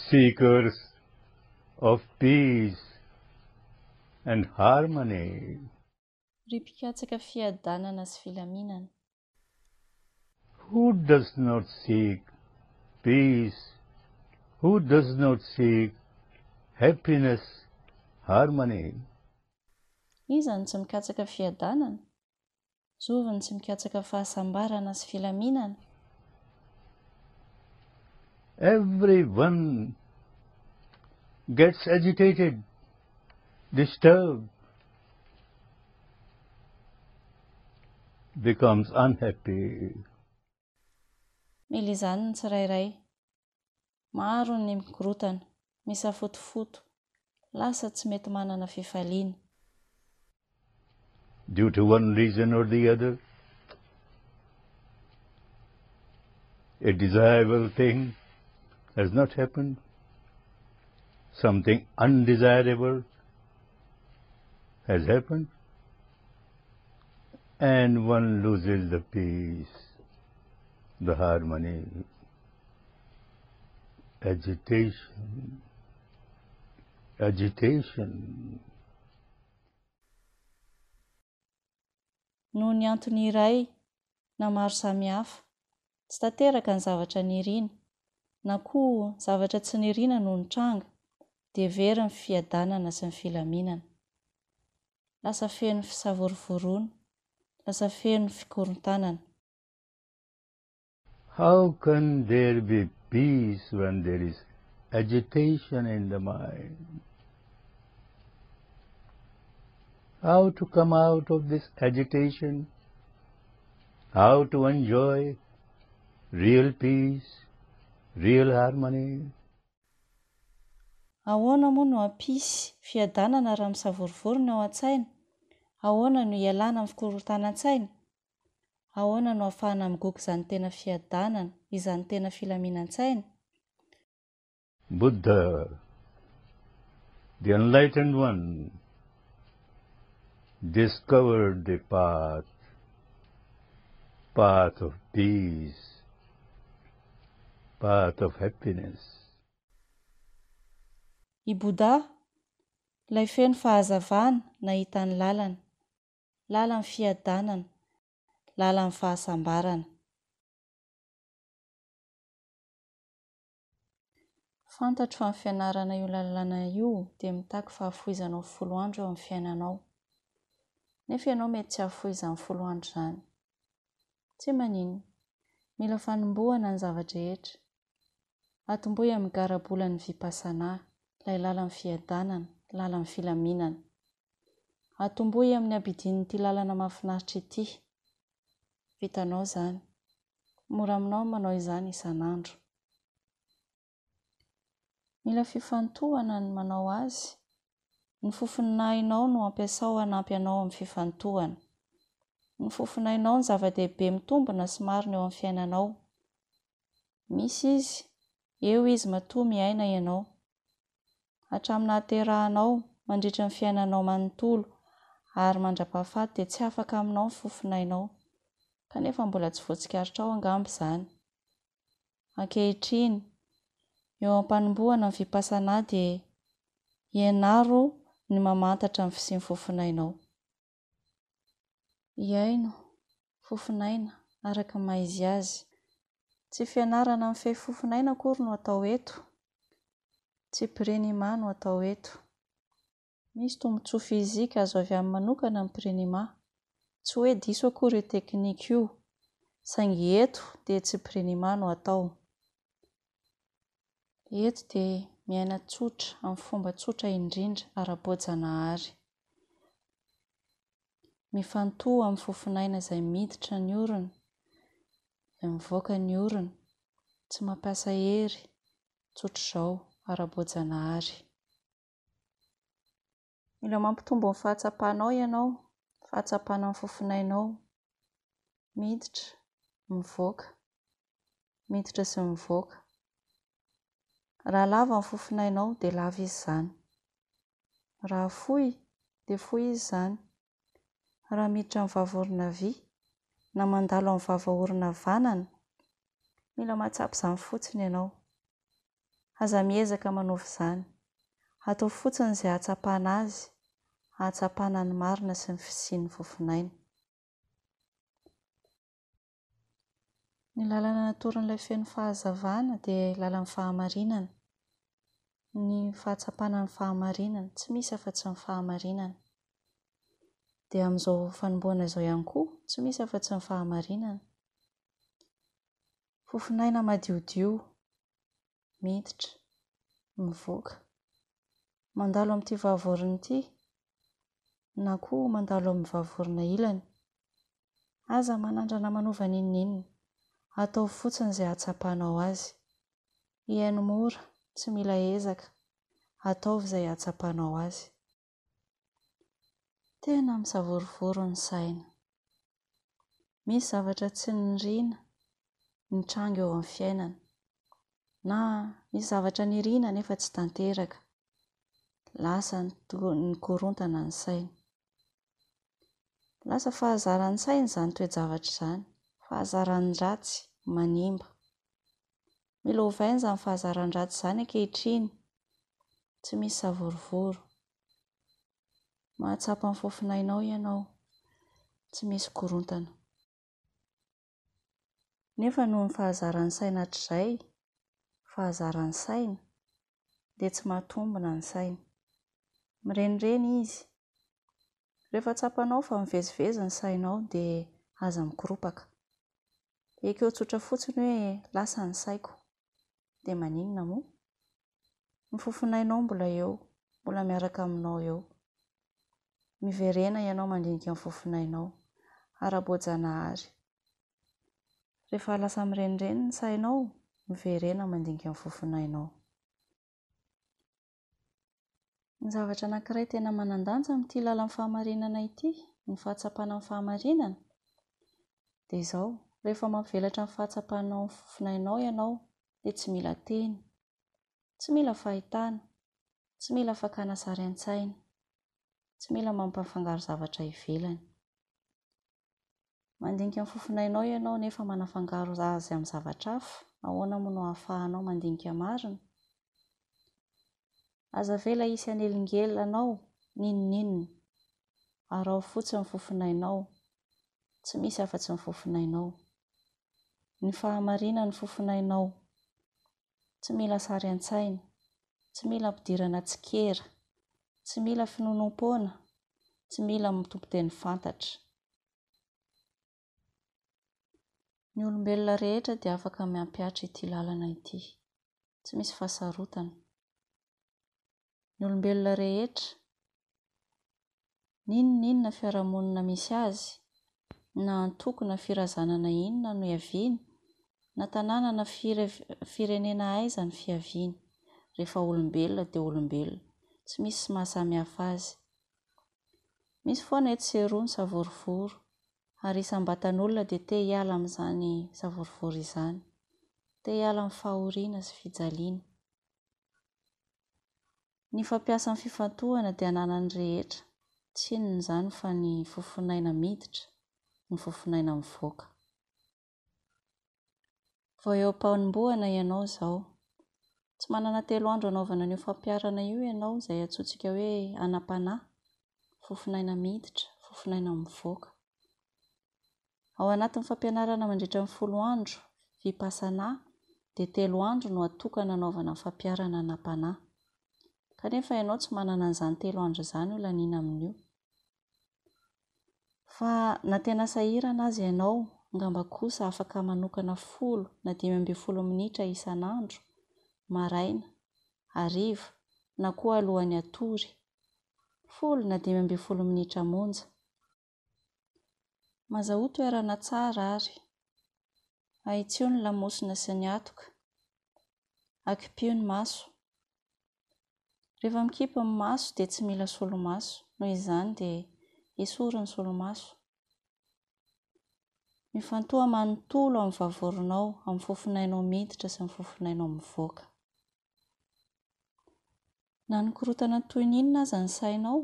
Seekers of peace and harmony. Ry mpikatsaka fiadanana sy filaminana. Who does not seek peace? Who does not seek happiness, harmony? Iza no tsy mikatsaka fiadanana? Zovy no tsy mikatsaka fahasambarana sy filaminana? Everyone gets agitated, disturbed, becomes unhappy. Mila izany ny tsirairay. Maro ny mikorotana, misafotofoto, lasa tsy mety manana fifaliana. Due to one reason or the other, a desirable thing has not happened, something undesirable has happened, and one loses the peace, the harmony, agitation, agitation. Noho ny antony iray na maro samihafa, tsy tanteraka ny zavatra nirina, na koa zavatra tsy nirina no nitranga, dia very ny fiadanana sy ny filaminana. Lasa feno fisavorovoroana, lasa feno fikorontanana. How can there be peace when there is agitation in the mind? How to come out of this agitation? How to enjoy real peace, real harmony? Ahoana moa no hampisy fiadanana raha misavorovoro ny ao an-tsaina? Ahoana no hialana amin'ny fikorontanan-tsaina? Ahoana no ahafahana migoka izany tena fiadanana, izany tena filaminan-tsaina? Buddha, the enlightened one, discovered the path, path of peace, path of happiness. I Bouddha, ilay feno fahazavana, nahita ny lalana. Lalan'ny fiadanana, lalan'ny fahasambarana. Fantatro fa ny fianarana io lalàna io dia mitaky fahafoizanao folo andro eo amin'ny fiainanao. Nefa ianao mety tsy hahafoy izany folo andro izany. Tsy maninona. Mila fanombohana ny zava-drehetra. Atombohy amin'ny garabolan'ny Vipassana, ilay lalan'ny fiadanana, lalan'ny filaminana. Atombohy amin'ny abidin'ity lalana mahafinaritra ity. Vitanao izany. Mora aminao ny manao izany isan'andro. Mila fifantohana ny manao azy. Ny fofonainao no ampiasao hanampy anao amin'ny fifantohana. Ny fofonainao no zava-dehibe mitombina sy marina eo amin'ny fiainanao. Misy izy, eo izy matoa miaina ianao. Hatramin'ny nahaterahanao, mandritra ny fiainanao manontolo, ary mandra-pahafaty dia tsy afaka aminao ny fofonainao. Kanefa mbola tsy voatsikaritrao angamba izany. Ankehitriny, eo am-panombohana ny Vipassana dia ianaro ny mamantatra ny fisian'ny fofonainao. Hihaino, fofonaina, araka ny maha izy azy. Tsy fianarana mifehy fofonaina akory no atao eto. Tsy Prinima no atao eto. Misy tombontsoa fizika azo avy aminy manokana ny Prinima. Tsy hoe diso akory io teknika io, saingy eto dia tsy Prinima no atao. Eto dia miaina tsotra, amin'ny fomba tsotra indrindra, ara-boajanahary. Mifantoha amin'ny fofonaina izay miditra ny orona, izay mivoaka ny orona. Tsy mampiasa hery, tsotr'izao, ara-boajanahary. Mila mampitombo ny fahatsapanao ianao, fahatsapana ny fofonainao. Miditra, mivoaka, miditra sy mivoaka. Raha lava ny fofonainao dia lava izy izany. Raha fohy dia fohy izy izany. Raha miditra amin'ny vava orona havia na mandalo amin'ny vava orona havanana, mila mahatsapa izany fotsiny ianao. Aza miezaka manova izany. Ataovy fotsiny izay hahatsapana azy, hahatsapana ny marina sy ny fisian'ny fofonaina. Ny lalana natoron'ilay feno fahazavana dia lalan'ny fahamarinana. Ny fahatsapana ny fahamarinana, tsy misy afa-tsy ny fahamarinana. Dia amin'izao fanombohana izao ihany koa, tsy misy afa-tsy ny fahamarinana. Fofonaina madiodio, miditra, mivoaka. Mandalo amin'ity vavorona ity, na koa mandalo amin'ny vavorona ilany. Aza manandrana manova n'inon'inona. Ataovy fotsiny izay hahatsapanao azy. Hihaino mora, tsy mila ezaka. Ataovy izay hahatsapanao azy. Tena misavorovoro ny saina. Misy zavatra tsy niriana nitranga eo amin'ny fiainana. Na misy zavatra niriana nefa tsy tanteraka. Lasa nikorontana ny saina. Lasa fahazaran'ny saina izany toe-javatra izany. Fahazaran-dratsy manimba. Mila ovaina izany fahazaran-dratsy izany ankehitriny. Tsy misy savorovoro. Mahatsapa ny fofonainao ianao. Tsy misy korontana. Nefa noho ny fahazaran'ny saina hatrizay, fahazaran'ny saina, dia tsy mahatombina ny saina. Mirenireny izy. Rehefa tsapanao fa mivezivezy ny sainao dia aza mikoropaka. Ekeo tsotra fotsiny hoe lasa ny saiko. Dia maninona moa? Ny fofonainao mbola eo, mbola miaraka aminao eo. Miverena ianao mandinika ny fofonainao. Ara-boajanahary. Rehefa lasa mirenireny ny sainao, miverena mandinika ny fofonainao. Ny zavatra anankiray tena manan-danja amin'ity lalan'ny fahamarinana ity, ny fahatsapana ny fahamarinana, dia izao, rehefa mampivelatra ny fahatsapanao ny fofonainao ianao, dia tsy mila teny, tsy mila fahitana, tsy mila fakana sary an-tsaina, tsy mila mampafangaro zavatra ivelany. Mandinika ny fofonainao ianao nefa manafangaro azy amin'ny zavatra hafa, ahoana moa no ahafahanao mandinika marina? Aza avela hisy hanelingelina anao n'inon'inona. Araho fotsiny ny fofonainao. Tsy misy afa-tsy ny fofonainao. Ny fahamarinan'ny fofonainao. Tsy mila sary an-tsaina. Tsy mila ampidirana tsikera. Tsy mila finoanoam-poana. Tsy mila tompon-teny fantatra. Ny olombelona rehetra dia afaka mampihatra ity lalana ity. Tsy misy fahasarotana. Ny olombelona rehetra, n'inon'inona fiarahamonina misy azy, na antoko na firazanana inona no iaviany, na tanàna na firenena aiza no fiaviany, rehefa olombelona dia olombelona. Tsy misy mahasamihafa azy. Misy foana etsy sy eroa ny savorovoro, ary isam-batan'olona dia te hiala amin'izany savorovoro izany. Te hiala amin'ny fahoriana sy fijaliana. Ny fampiasa ny fifantohana dia ananan'ny rehetra, tsy inona izany fa ny fofonaina miditra, ny fofonaina mivoaka. Vao eo am-panombohana ianao izao. Tsy manana telo andro hanaovana an'io fampiharana io ianao izay antsointsika hoe anam-panahy, fofonaina miditra, fofonaina mivoaka. Ao anatin'ny fampianarana mandritra ny folo andro, Vipassana, dia telo andro no atokana hanaovana ny fampiharana anam-panahy. Kanefa ianao tsy manana an'izany telo andro izany ho laniana amin'io. Fa na tena sahirana aza ianao, angamba kosa afaka manokana folo na 15 minitra isan'andro, maraina, hariva, na koa alohan'ny hatory. Folo na 15 minitra monja. Mazahoa toerana tsara ary. Ahitsio ny lamosina sy ny hatoka. Akipio ny maso. Rehefa mikipy ny maso dia tsy mila solomaso, noho izany dia esory ny solomaso. Mifantoha manontolo amin'ny vavoronao, amin'ny fofonainao miditra sy ny fofonainao mivoaka. Na nikorontana toy ny inona aza ny sainao,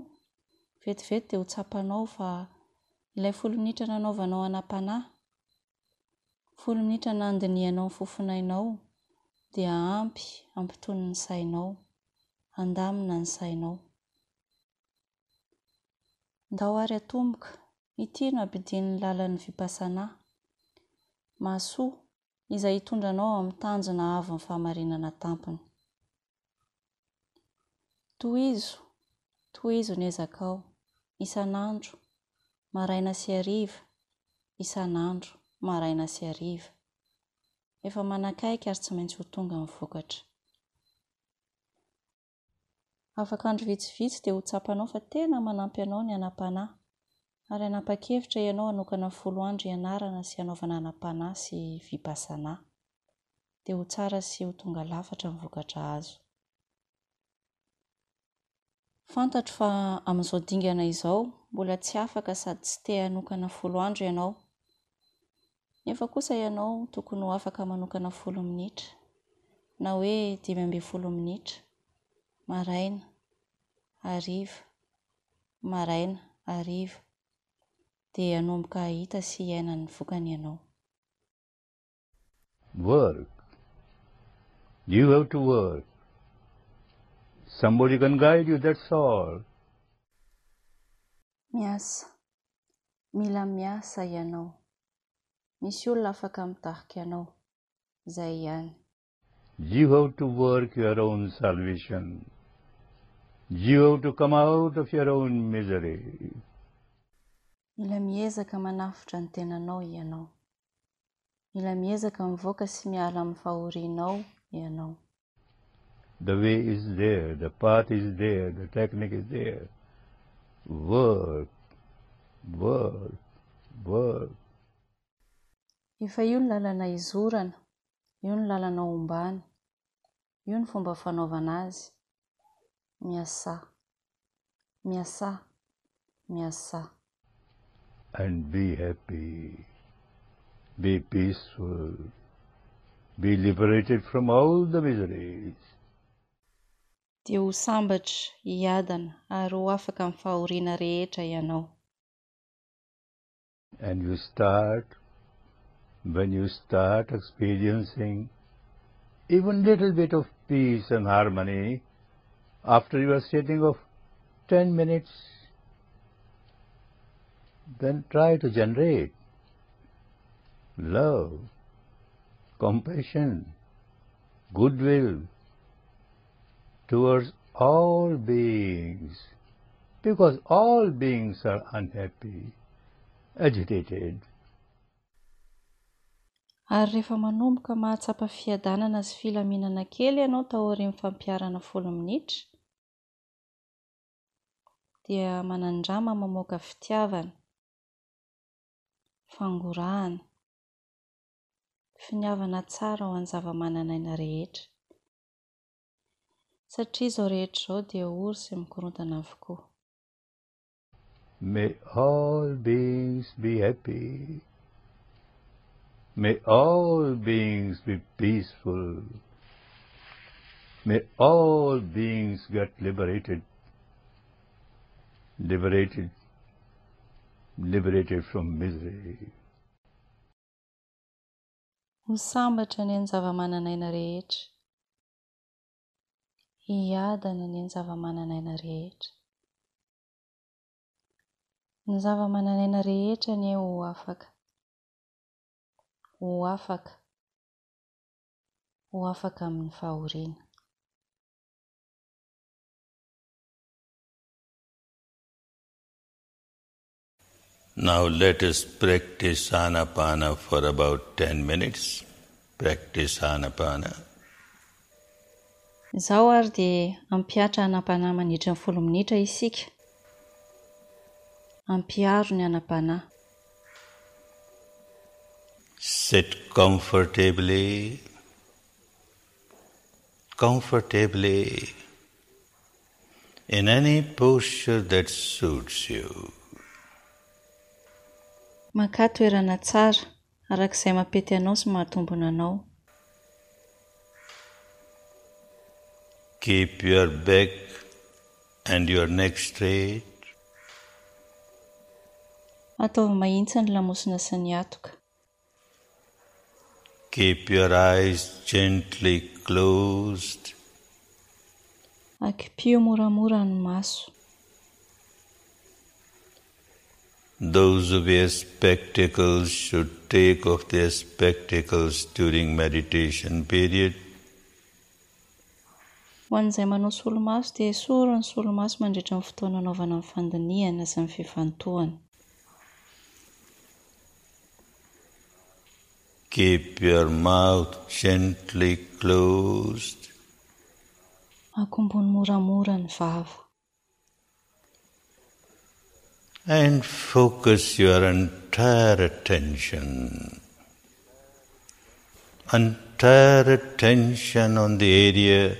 vetivety dia ho tsapanao fa ilay folo minitra nanaovanao anam-panahy, folo minitra nandinihanao ny fofonainao, Dia ampy hampitony ny sainao, handamina ny sainao. Ndao ary atomboka, ity no abidian'ny lalan'ny Vipassana. Mahasoa, izay hitondra anao ao amin'ny tanjona avon'ny fahamarinana tampony. Tohizo, tohizo ny ezakao, isan'andro, maraina sy hariva, isan'andro, maraina sy hariva. Efa manakaiky ary tsy maintsy ho tonga ny vokatra. Afaka andro vitsivitsy dia ho tsapanao fa tena manampy anao ny hanam-panahy, ary hanapa-kevitra ianao hanokana folo andro hianarana sy hanaovana hanam-panahy sy vipassana. Dia ho tsara sy ho tonga lafatra ny vokatra azo. Fantatro fa amin'izao dingana izao, mbola tsy afaka sady tsy te hanokana folo andro ianao. Nefa kosa ianao tokony ho afaka manokana folo minitra, na hoe 15 minitra, maraina, hariva, maraina, hariva, dia hanomboka hahita sy hiaina ny vokany ianao. Work. You have to work. Somebody can guide you, that's all. Miasa. Mila miasa ianao. Misy olona afaka mitarika anao. Izay ihany. You have to work your own salvation. You have to come out of your own misery. Mila miezaka manafotra ny tenanao ianao. Mila miezaka mivoaka sy miala amin'ny fahorianao ianao. The way is there, the path is there, the technique is there. Work, work, work. Efa io ny lalana izorana, io ny lalana ombana, io ny fomba fanaovana azy. Miasà. Miasà. Miasà. And be happy, be peaceful, be liberated from all the miseries. Dia ho sambatra, hiadana ary ho afaka amin'ny fahoriana rehetra ianao. And you start, when you start experiencing even little bit of peace and harmony, after you are sitting of 10 minutes, then try to generate love, compassion, goodwill towards all beings, because all beings are unhappy, agitated. Ary rehefa manomboka mahatsapa fiadanana sy filaminana kely ianao taorian'ny fampiharana folo minitra, dia manandrama mamoaka fitiavana, fangorahana, finiavana tsara ho an'ny zava-manan'aina rehetra. Satria izao rehetra izao dia ory sy mikorontana avokoa. May all beings be happy. May all beings be peaceful. May all beings get liberated. Liberated. Liberated from misery. Ho sambatra anie ny zava-manan'aina rehetra. Hiadana anie ny zava-manan'aina rehetra. Ny zava-manan'aina rehetra anie ho afaka. Ho afaka. Ho afaka amin'ny fahoriana. Now let us practice Anapana for about 10 minutes. Practice Anapana. Izao ary dia hampihatra Anapana mandritra ny folo minitra isika. Ampiharo ny Anapana. Sit comfortably, comfortably in any posture that suits you. Makà toerana tsara, araka izay mampety anao sy mahatombina anao. Keep your back and your neck straight. Ataovy mahitsy ny lamosina sy ny hatoka. Keep your eyes gently closed. Akipio moramora ny maso. Those who wear spectacles should take off their spectacles during meditation period. Ho an'izay manao solomaso dia esory ny solomaso mandritra ny fotoana anaovana ny fandinihana sy ny fifantohana. Keep your mouth gently closed. Akombony moramora ny vava. And focus your entire attention, entire attention on the area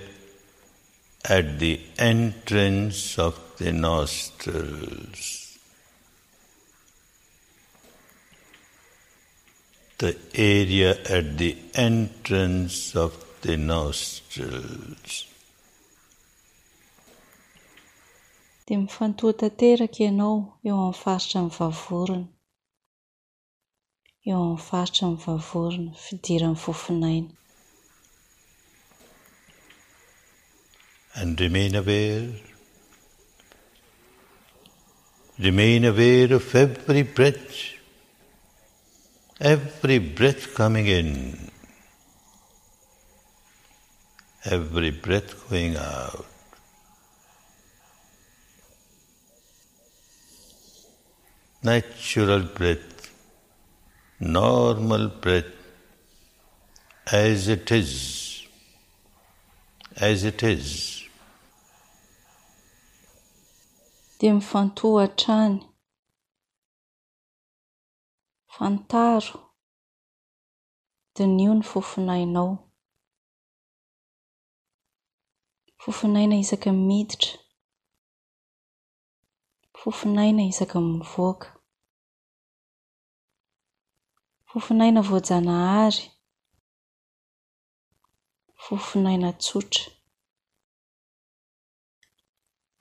at the entrance of the nostrils. The area at the entrance of the nostrils. Dia mifantoha tanteraka ianao eo amin'ny faritra ny vavorona. Eo amin'ny faritra ny vavorona, fidiran'ny fofonaina. And remain aware. Remain aware of every breath. Every breath coming in. Every breath going out. Natural breath, normal breath, as it is, as it is. Dia mifantoha hatrany. Fantaro. Diniho ny fofonainao. Fofonaina isaky ny miditra. Fofonaina isaky ny mivoaka. Fofonaina voajanahary. Fofonaina tsotra.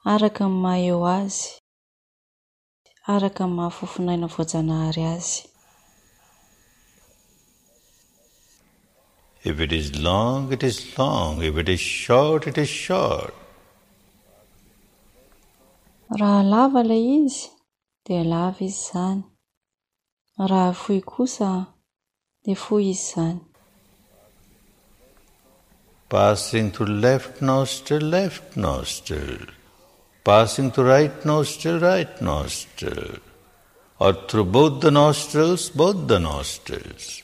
Araka ny maha eo azy. Araka ny maha fofonaina voajanahary azy. If it is long, it is long. If it is short, it is short. Raha lava ilay izy, dia lava izy izany. Raha fohy kosa, dia fohy izy izany. Passing through left nostril, left nostril. Passing through right nostril, right nostril. Or through both the nostrils, both the nostrils.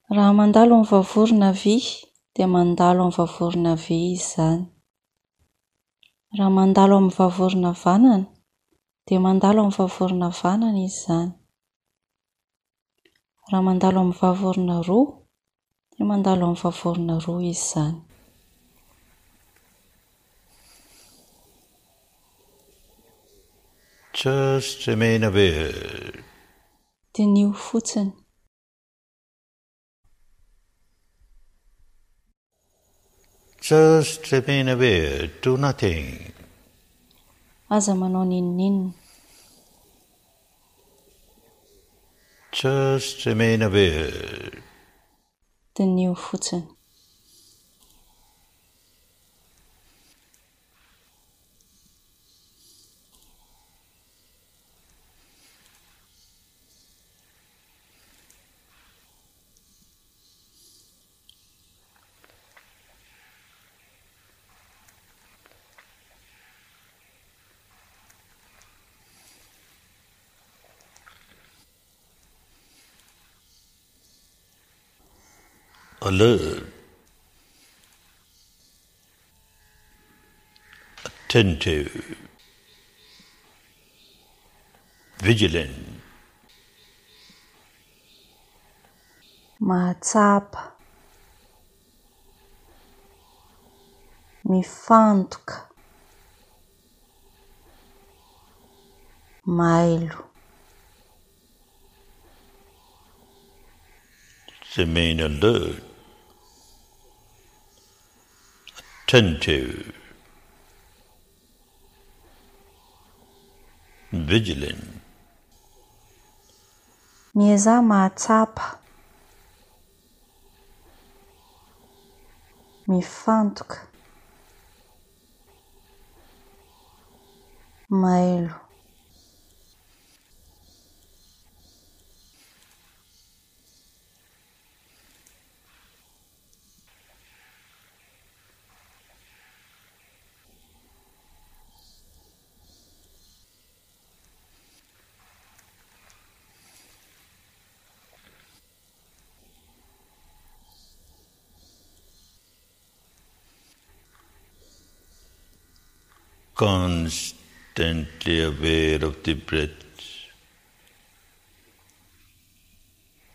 Raha mandalo amin'ny vavorona havia, dia mandalo amin'ny vavorona havia izy izany. Raha mandalo amin'ny vavorona havanana, dia mandalo amin'ny vavorona havanana izy izany. Raha mandalo amin'ny vavorona roa, dia mandalo amin'ny vavorona roa izy izany. Just remain aware. Diniho fotsiny. Just remain aware, do nothing. Aza manao n'inon'inona. Just remain aware. Diniho fotsiny. Alert, attentive, vigilant. Mahatsapa, mifantoka, mailo. Remain alert, attentive, vigilant. Miezaha mahatsapa, Mifantoka. Mailo. Constantly aware of the breath,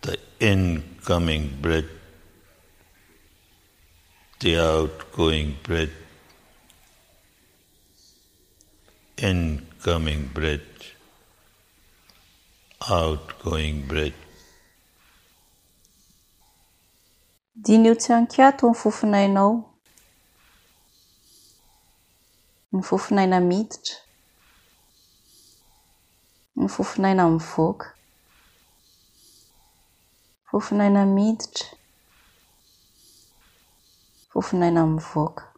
the incoming breath, the outgoing breath, incoming breath, outgoing breath. Diniho tsy an-kiato ny fofonainao, ny fofonaina miditra, ny fofonaina mivoaka, fofonaina miditra, fofonaina mivoaka.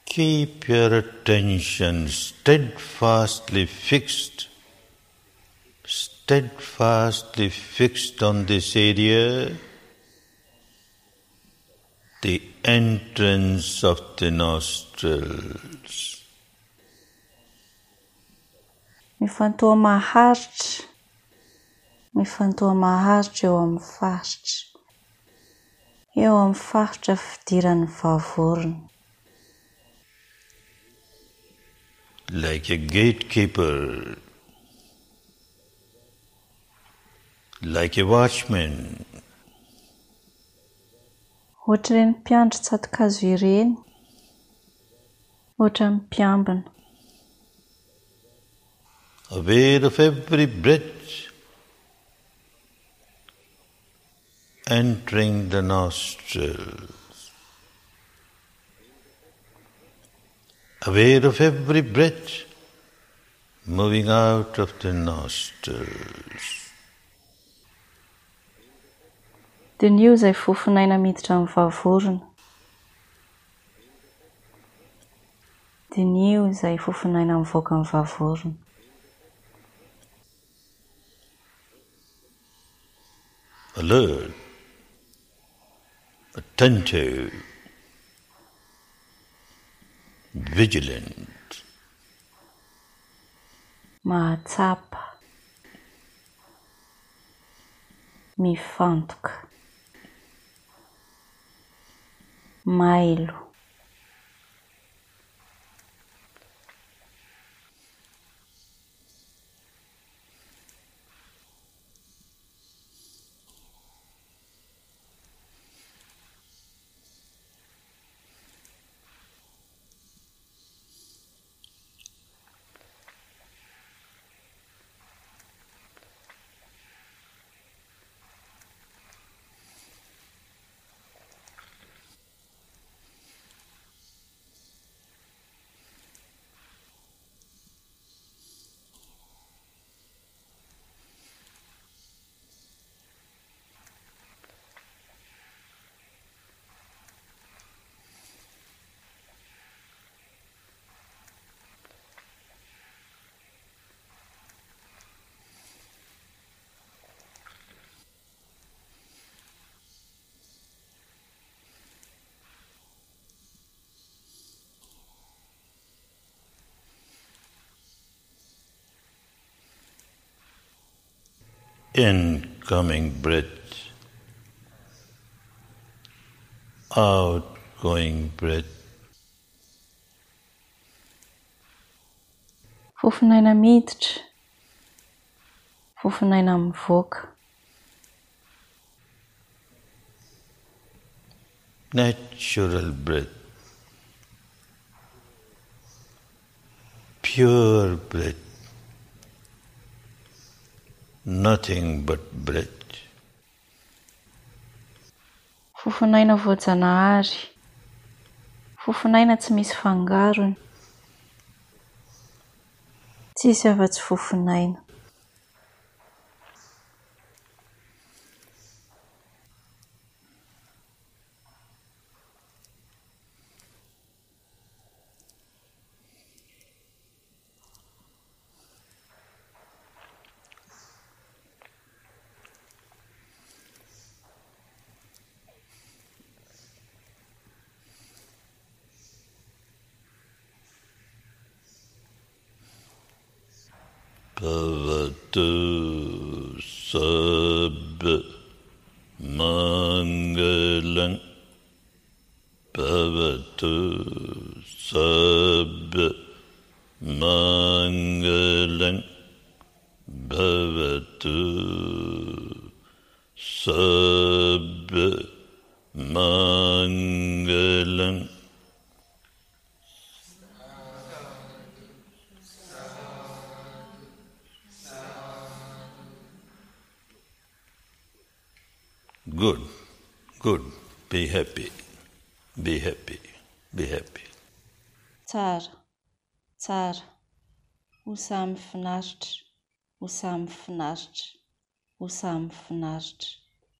Keep your attention steadfastly fixed, steadfastly fixed on this area, the entrance of the nostrils. Mifantoha maharitra, mifantoha maharitra eo amin'ny faritra, eo amin'ny faritra fidiran'ny vavorona. Like a gatekeeper, like a watchman. Ohatr'ireny mpiandry tsato-kazo ireny, ohatran'ny mpiambina. Aware of every breath entering the nostrils. Aware of every breath moving out of the nostrils. Diniho izay fofon'aina miditra amin'ny vavorona. Diniho izay fofon'aina mivoaka amin'ny vavorona. Alert, attentive, vigilant. Mahatsapa. Mifantoka. Mailo. Incoming breath, outgoing breath. Fofonaina miditra, fofonaina mivoaka. Natural breath, pure breath, nothing but breath. Fofonaina voajanahary, fofonaina tsy misy fangarony, tsisy afa-tsy fofonaina. Bhavatu sabba mangalam. Bhavatu sabba mangalam. Bhavatu sabba mangalam. Good, good. Be happy, be happy, be happy. Tsara, tsara. Ho samy finaritra, ho samy finaritra, ho samy finaritra.